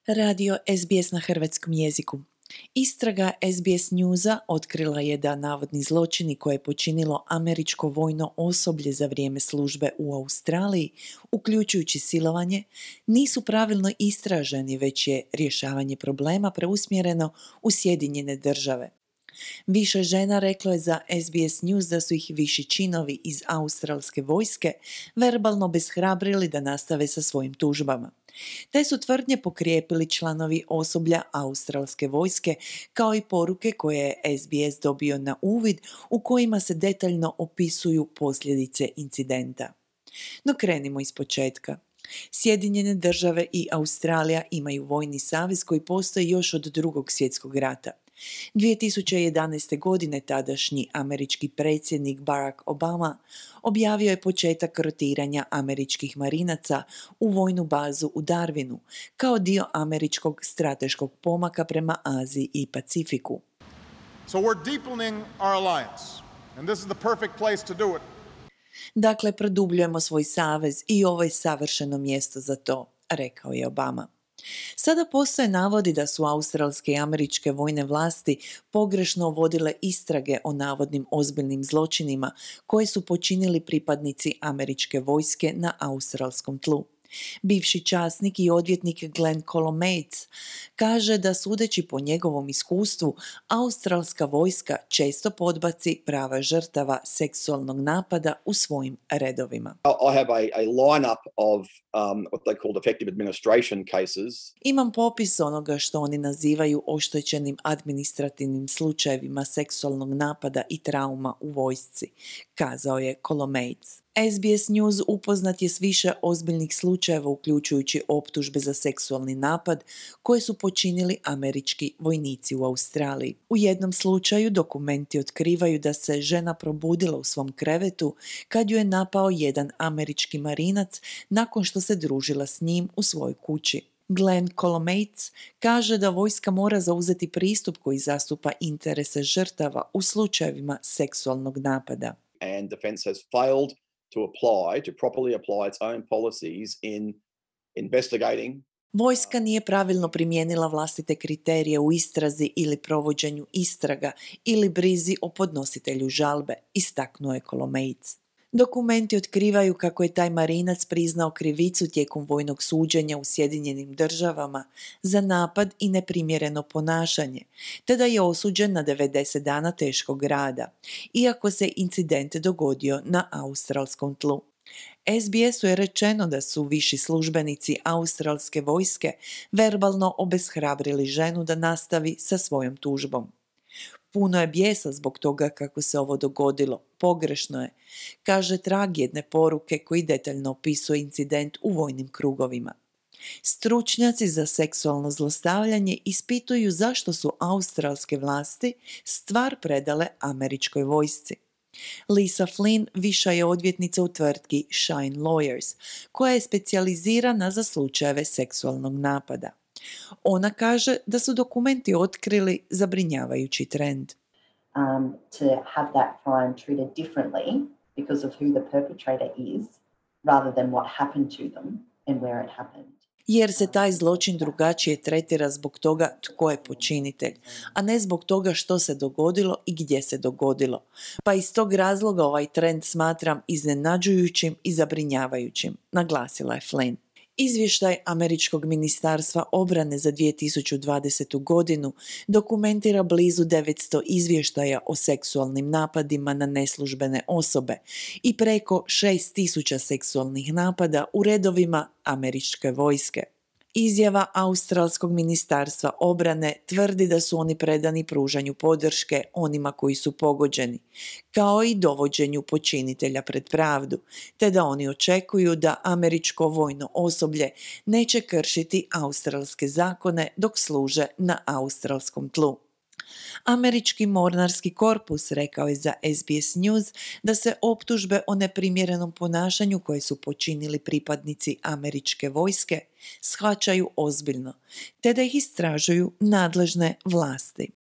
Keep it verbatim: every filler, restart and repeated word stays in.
Radio S B S na hrvatskom jeziku. Istraga S B S Newsa otkrila je da navodni zločini koje je počinilo američko vojno osoblje za vrijeme službe u Australiji, uključujući silovanje, nisu pravilno istraženi, već je rješavanje problema preusmjereno u Sjedinjene države. Više žena reklo je za S B S News da su ih viši činovi iz australske vojske verbalno obeshrabrili da nastave sa svojim tužbama. Te su tvrdnje pokrijepili članovi osoblja australske vojske, kao i poruke koje je S B S dobio na uvid, u kojima se detaljno opisuju posljedice incidenta. No krenimo iz početka. Sjedinjene države i Australija imaju vojni savez koji postoji još od Drugog svjetskog rata. dvije tisuće jedanaeste. godine tadašnji američki predsjednik Barack Obama objavio je početak rotiranja američkih marinaca u vojnu bazu u Darwinu kao dio američkog strateškog pomaka prema Aziji i Pacifiku. So we're deepening our alliance, and this is the perfect place to do it. Dakle, produbljujemo svoj savez i ovo je savršeno mjesto za to, rekao je Obama. Sada postoje navodi da su australske i američke vojne vlasti pogrešno vodile istrage o navodnim ozbiljnim zločinima koje su počinili pripadnici američke vojske na australskom tlu. Bivši časnik i odvjetnik Glenn Colomates kaže da sudeći po njegovom iskustvu, australska vojska često podbaci prava žrtava seksualnog napada u svojim redovima. I have a, a lineup of um, what they call defective administration cases. Imam popis onoga što oni nazivaju oštećenim administrativnim slučajevima seksualnog napada i trauma u vojsci, kazao je Colomates. S B S News upoznat je s više ozbiljnih slučajeva uključujući optužbe za seksualni napad koje su počinili američki vojnici u Australiji. U jednom slučaju dokumenti otkrivaju da se žena probudila u svom krevetu kad ju je napao jedan američki marinac nakon što se družila s njim u svojoj kući. Glenn Colomates kaže da vojska mora zauzeti pristup koji zastupa interese žrtava u slučajevima seksualnog napada. And defense has failed to apply, to properly apply its own policies in investigating. Vojska nije pravilno primijenila vlastite kriterije u istrazi ili provođenju istraga ili brizi o podnositelju žalbe, istaknuo je Colomates. Dokumenti otkrivaju kako je taj marinac priznao krivicu tijekom vojnog suđenja u Sjedinjenim državama za napad i neprimjereno ponašanje, te da je osuđen na devedeset dana teškog rada, iako se incident dogodio na australskom tlu. S B S-u je rečeno da su viši službenici australske vojske verbalno obeshrabrili ženu da nastavi sa svojom tužbom. Puno je bijesa zbog toga kako se ovo dogodilo. Pogrešno je, kaže trag jedne poruke koji detaljno opisuje incident u vojnim krugovima. Stručnjaci za seksualno zlostavljanje ispituju zašto su australske vlasti stvar predale američkoj vojsci. Lisa Flynn viša je odvjetnica u tvrtki Shine Lawyers, koja je specijalizirana za slučajeve seksualnog napada. Ona kaže da su dokumenti otkrili zabrinjavajući trend. Um, to have that crime treated differently because of who the perpetrator is, rather than what happened to them and where it happened. Jer se taj zločin drugačije tretira zbog toga tko je počinitelj, a ne zbog toga što se dogodilo i gdje se dogodilo. Pa iz tog razloga ovaj trend smatram iznenađujućim i zabrinjavajućim, naglasila je Flynn. Izvještaj Američkog ministarstva obrane za dvije tisuće dvadesetu. godinu dokumentira blizu devetsto izvještaja o seksualnim napadima na neslužbene osobe i preko šest tisuća seksualnih napada u redovima američke vojske. Izjava Australskog ministarstva obrane tvrdi da su oni predani pružanju podrške onima koji su pogođeni, kao i dovođenju počinitelja pred pravdu, te da oni očekuju da američko vojno osoblje neće kršiti australske zakone dok služe na australskom tlu. Američki mornarski korpus rekao je za S B S News da se optužbe o neprimjerenom ponašanju koje su počinili pripadnici američke vojske shvaćaju ozbiljno, te da ih istražuju nadležne vlasti.